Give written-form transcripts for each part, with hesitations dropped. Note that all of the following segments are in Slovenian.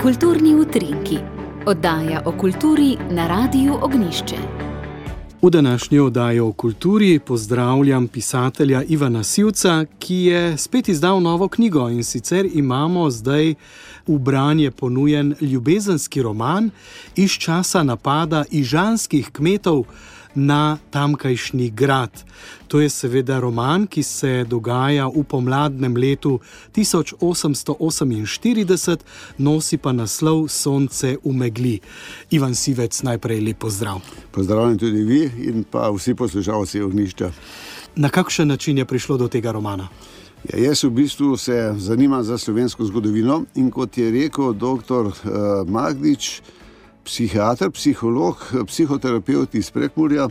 Kulturni utrinki. Oddaja o kulturi na Radiu Ognjišče. V današnji oddaji o kulturi pozdravljam pisatelja Ivana Sivca, ki je spet izdal novo knjigo, in sicer imamo zdaj v branje ponujen ljubezenski roman iz časa napada ižanskih kmetov na tamkajšnji grad. To je seveda roman, ki se dogaja v pomladnem letu 1848, nosi pa naslov Sonce v megli. Ivan Sivec, najprej lep pozdrav. Pozdravljam tudi vi in pa vsi poslušalci Ognjišča. Na kakšen način je prišlo do tega romana? Ja, jaz v bistvu se zanimam za slovensko zgodovino in kot je rekel dr. Magdič, psihiater, psiholog, psihoterapevt iz Prekmurja,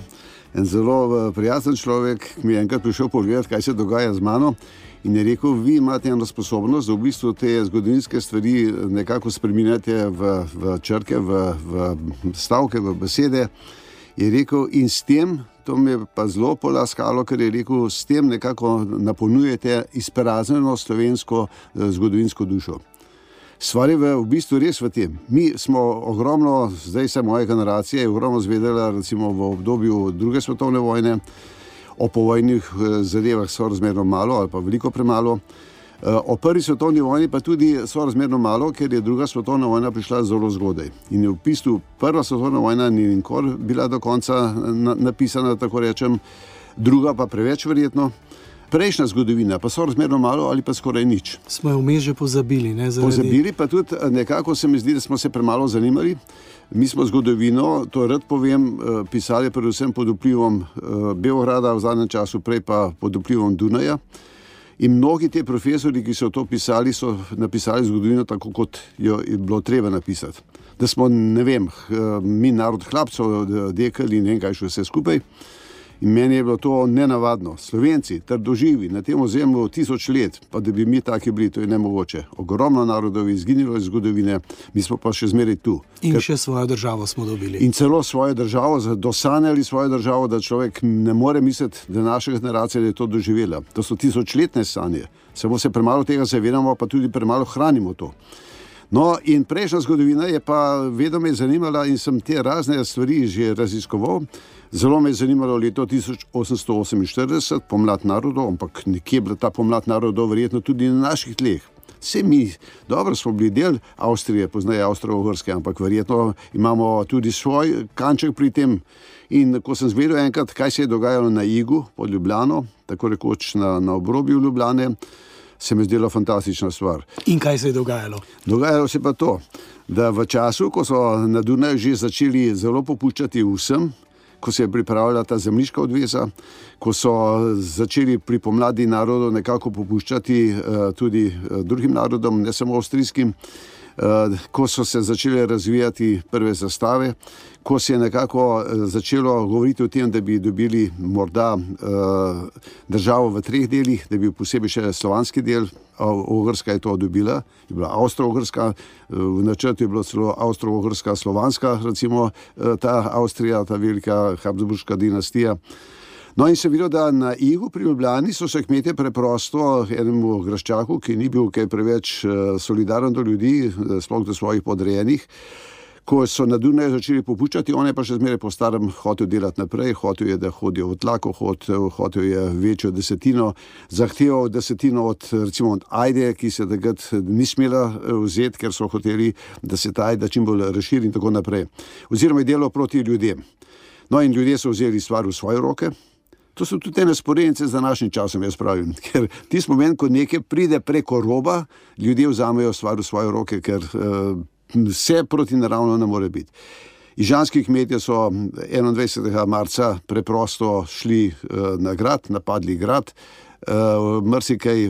en zelo prijazen človek, mi je enkrat prišel pogledati, kaj se dogaja z mano, in je rekel, vi imate eno sposobnost, da v bistvu te zgodovinske stvari nekako spreminjate v črke, v stavke, v besede. Je rekel, in s tem, to me je pa zelo polaskalo, ker je rekel, s tem nekako napolnjujete izpraznjeno slovensko zgodovinsko dušo. Stvar je v bistvu res v tem. Mi smo ogromno, zdaj se moja generacija je ogromno zvedela, recimo v obdobju druge svetovne vojne, o povojnih zadevah sorazmerno malo ali pa veliko premalo. O prvi svetovni vojni pa tudi sorazmerno malo, ker je druga svetovna vojna prišla zelo zgodaj. In v bistvu prva svetovna vojna ni nikoli bila do konca napisana, tako rečem, druga pa preveč verjetno. Prejšnja zgodovina pa sorazmerno malo ali pa skoraj nič. Smo jo vmes že pozabili, ne? Pozabili, pa tudi nekako se mi zdi, da smo se premalo zanimali. Mi smo zgodovino, to rad povem, pisali predvsem pod vplivom Beograda v zadnjem času, prej pa pod vplivom Dunaja. In mnogi te profesori, ki so to pisali, so napisali zgodovino tako, kot jo je bilo treba napisati. Da smo, ne vem, mi narod hlapcev dekali in ne vem kaj še vse skupaj. In meni je bilo to nenavadno. Slovenci, trdoživi, na tem ozemlju 1000 let, pa da bi mi taki bili, to je nemogoče. Ogromno narodov je izginilo iz zgodovine, mi smo pa še zmeraj tu. In še svojo državo smo dobili. In celo svojo državo, dosanjali svojo državo, da človek ne more misliti, da naša generacija je to doživela. To so 1000-letne sanje. Samo se premalo tega zavedamo, pa tudi premalo hranimo to. No, in prejšnja zgodovina je pa vedno me zanimala in sem te razne stvari že raziskoval. Zelo me je zanimalo leto 1848, pomlad narodov, ampak nekje je bila ta pomlad narodov verjetno tudi na naših tleh. Vse mi, dobro smo bili del Avstrije, poznaje Avstro-Ogrske, ampak verjetno imamo tudi svoj kanček pri tem. In ko sem zvedel enkrat, kaj se je dogajalo na Igu pod Ljubljano, tako rekoč na obrobju Ljubljane, se mi zdela fantastična stvar. In kaj se je dogajalo? Dogajalo se pa to, da v času, ko so na Dunaju že začeli zelo popuščati vsem, ko se je pripravljala ta zemljiška odveza, ko so začeli pri pomladi narodov nekako popuščati tudi drugim narodom, ne samo avstrijskim, ko so se začele razvijati prve zastave, ko se je nekako začelo govoriti o tem, da bi dobili morda državo v 3 delih, da bi posebej še slovanski del, Ogrska je to dobila, je bila Avstro-Ogrska, v načrtu je bilo celo Avstro-Ogrska slovanska, recimo ta Avstrija, ta velika Habsburška dinastija. No in se videlo, da na Igu pri Ljubljani so se kmetje preprosto enemu graščaku, ki ni bil kaj preveč solidaren do ljudi, sploh do svojih podrejenih, ko so na Dunaju začeli popuščati, on je pa še zmeraj po starem hotel delati naprej, hotel je, da hodijo v tlako, hotel je večjo desetino, zahteval desetino od ajde, ki se takrat ni smela vzeti, ker so hoteli, da se ta ajda čim bolj razširi in tako naprej. Oziroma je delal proti ljudem. No in ljudje so vzeli stvar v svoje roke. To so tudi ene sporednice z današnjim časom, jaz pravim, ker tisti moment, ko nekaj pride preko roba, ljudje vzamejo stvar v svoje roke, ker vse proti naravno ne more biti. Ižanski kmetje so 21. marca preprosto šli na grad, napadli grad, marsikaj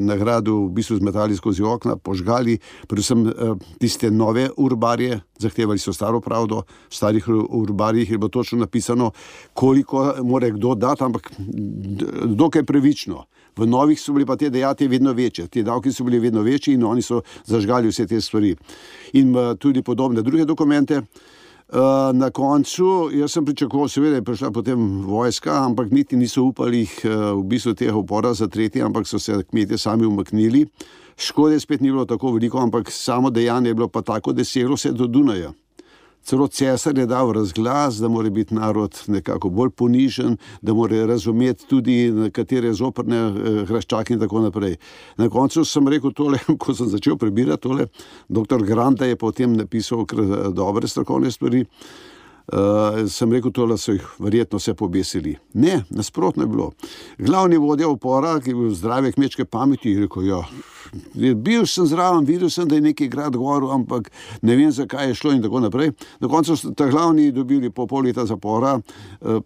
na gradu v bistvu zmetali skozi okna, požgali, predvsem tiste nove urbarje, zahtevali so staro pravdo, v starih urbarjih je bilo točno napisano, koliko mora kdo dati, ampak dokaj pravično. V novih so bili pa te dejatve vedno večje, te davki so bili vedno večji in oni so zažgali vse te stvari. In tudi podobne druge dokumente. Na koncu, jaz sem pričakoval, seveda je prišla potem vojska, ampak niti niso upali v bistvu tega upora zatreti, ampak so se kmetje sami umaknili. Škode spet ni bilo tako veliko, ampak samo dejanje je bilo pa tako, da seglo se do Dunaja. Celo cesar je dal razglas, da mora biti narod nekako bolj ponižen, da mora razumeti tudi nekatere zoprne hraščake in tako naprej. Na koncu sem rekel tole, ko sem začel prebirati tole, dr. Granta je potem napisal dobre strokovne stvari, sem rekel tole, so jih verjetno vse pobesili. Ne, nasprotno je bilo. Glavni vodja upora, ki je bil zdrave kmečke pameti, je rekel, ja, bil sem zraven, videl sem, da je neki grad govoril, ampak ne vem, zakaj je šlo in tako naprej. Na koncu so ta glavni dobili po pol leta zapora,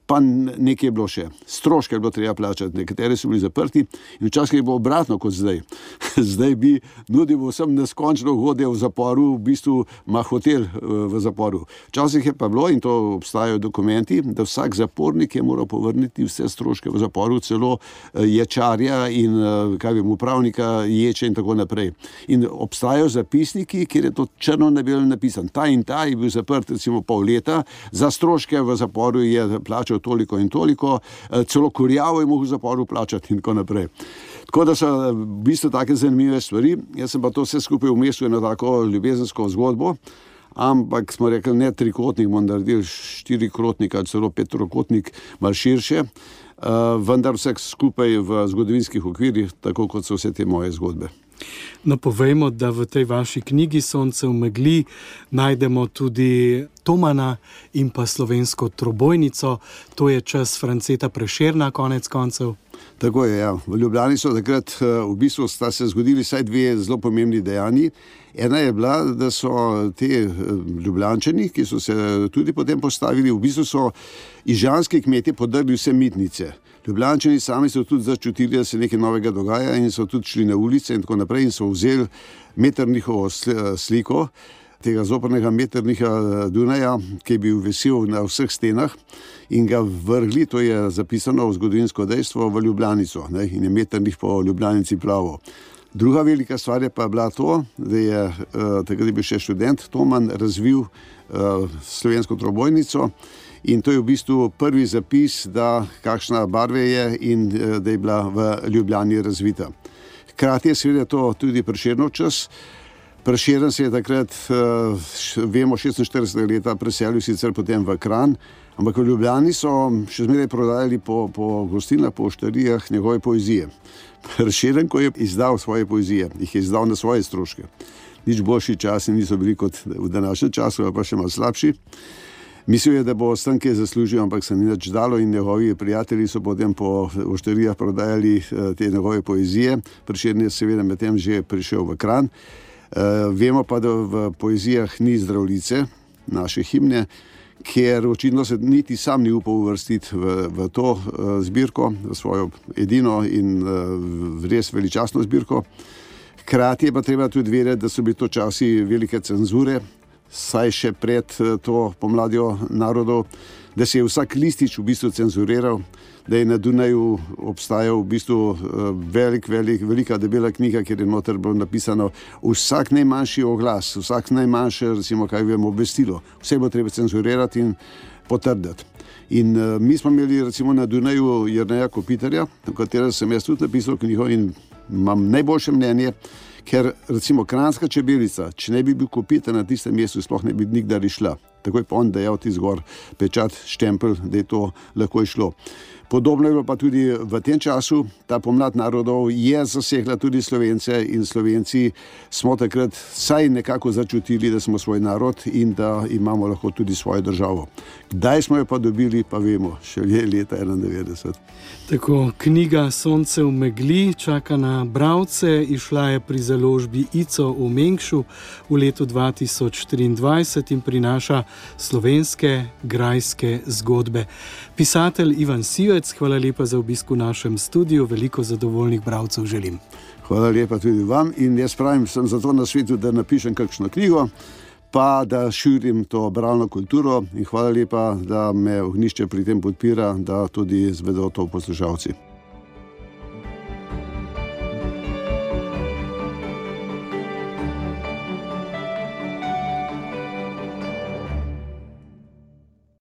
pa nekaj je bilo še. Stroške je bilo treba plačati, nekateri so bili zaprti in včasih je bilo obratno kot zdaj. Zdaj bi nudil vsem neskončno ugodje v zaporu, v bistvu ima hotel v zaporu. Včasih je pa bilo, in to obstajajo dokumenti, da vsak zapornik je moral povrniti vse stroške v zaporu, celo ječarja in upravnika ječe in tako naprej. In obstajajo zapisniki, kjer je to črno na belem napisan. Ta in ta je bil zaprt recimo pol leta, za stroške v zaporu je plačal toliko in toliko, celo kurjavo je mogel v zaporu plačati in tako naprej. Tako da so v bistvu take zanimive stvari. Jaz sem pa to vse skupaj umestil eno tako ljubezensko zgodbo, ampak smo rekli, ne trikotnik, bomo naredili 4-krotnik ali celo 5-trokotnik, malo širše, vendar vse skupaj v zgodovinskih okvirih, tako kot so vse te moje zgodbe. No, povejmo, da v tej vaši knjigi Sonce v megli najdemo tudi Tomana in pa slovensko trobojnico. To je čas Franceta Prešerna, konec koncev. Tako je, ja. V Ljubljani so takrat v bistvu sta se zgodili vsaj dve zelo pomembni dejanji. Ena je bila, da so te Ljubljančani, ki so se tudi potem postavili, v bistvu so ižanski kmetje podrli vse mitnice. Ljubljančani sami so tudi začutili, da se nekaj novega dogaja in so tudi šli na ulice in tako naprej in so vzeli Metternichovo sliko, tega zoprnega Metternicha Dunaja, ki je bil visel na vseh stenah in ga vrgli, to je zapisano v zgodovinsko dejstvo, v Ljubljanico, ne, in je Metternich po Ljubljanici plaval. Druga velika stvar je pa bila to, da je takrat je bil še študent Toman razvil slovensko trobojnico in to je v bistvu prvi zapis, da kakšna barve je in da je bila v Ljubljani razvita. Hkrati je seveda to tudi Prešernov čas. Prešeren se je takrat, vemo, 46. leta preselil sicer potem v Kranj, ampak v Ljubljani so še zmeraj prodajali po gostilnah, po oštarijah njegove poezije. Prešeren, ko je izdal svoje poezije, jih je izdal na svoje stroške. Nič boljši časi niso bili kot v današnjem času, pa še malo slabši. Mislil je, da bo s tem kaj zaslužil, ampak se ni nič dalo in njegovi prijatelji so potem po oštarijah prodajali te njegove poezije. Prešeren je seveda medtem že prišel v Kranj. Vemo pa, da v poezijah ni Zdravljice, naše himne, ker očitno se niti sam ni upal uvrstiti v to zbirko, v svojo edino in res veličastno zbirko. Hkrati je pa treba tudi vedeti, da so bili to časi velike cenzure, saj še pred to pomladjo narodov, da se je vsak listič v bistvu cenzuriral, da je na Dunaju obstajal v bistvu velika debela knjiga, kjer je noter bilo napisano vsak najmanjši oglas, vsak najmanjše, recimo, kaj vemo, obvestilo. Vse bo treba cenzurirati in potrditi. In mi smo imeli recimo na Dunaju Jerneja Kopitarja, v katerem sem jaz tudi napisal knjigo in imam najboljše mnenje, ker recimo Kranjska čebelica, če ne bi bil Kopitar na tistem mestu, sploh ne bi nikdar išla. Takoj pa on dejal ti zgor pečat, štempelj, da je to lahko išlo. Podobno je bilo pa tudi v tem času, ta pomlad narodov je zasegla tudi Slovence in Slovenci smo takrat vsaj nekako začutili, da smo svoj narod in da imamo lahko tudi svojo državo. Kdaj smo jo pa dobili, pa vemo, še leta 91. Tako, knjiga Sonce v megli čaka na bralce, išla je pri založbi ICO v Mengšu v letu 2023 in prinaša slovenske grajske zgodbe. Pisatelj Ivan Sivec, hvala lepa za obisk v našem studiu, veliko zadovoljnih bralcev želim. Hvala lepa tudi vam in jaz pravim, sem zato na svetu, da napišem kakšno knjigo, pa da širim to bralno kulturo in hvala lepa, da me Ognjišče pri tem podpira, da tudi zvedo to poslušalci.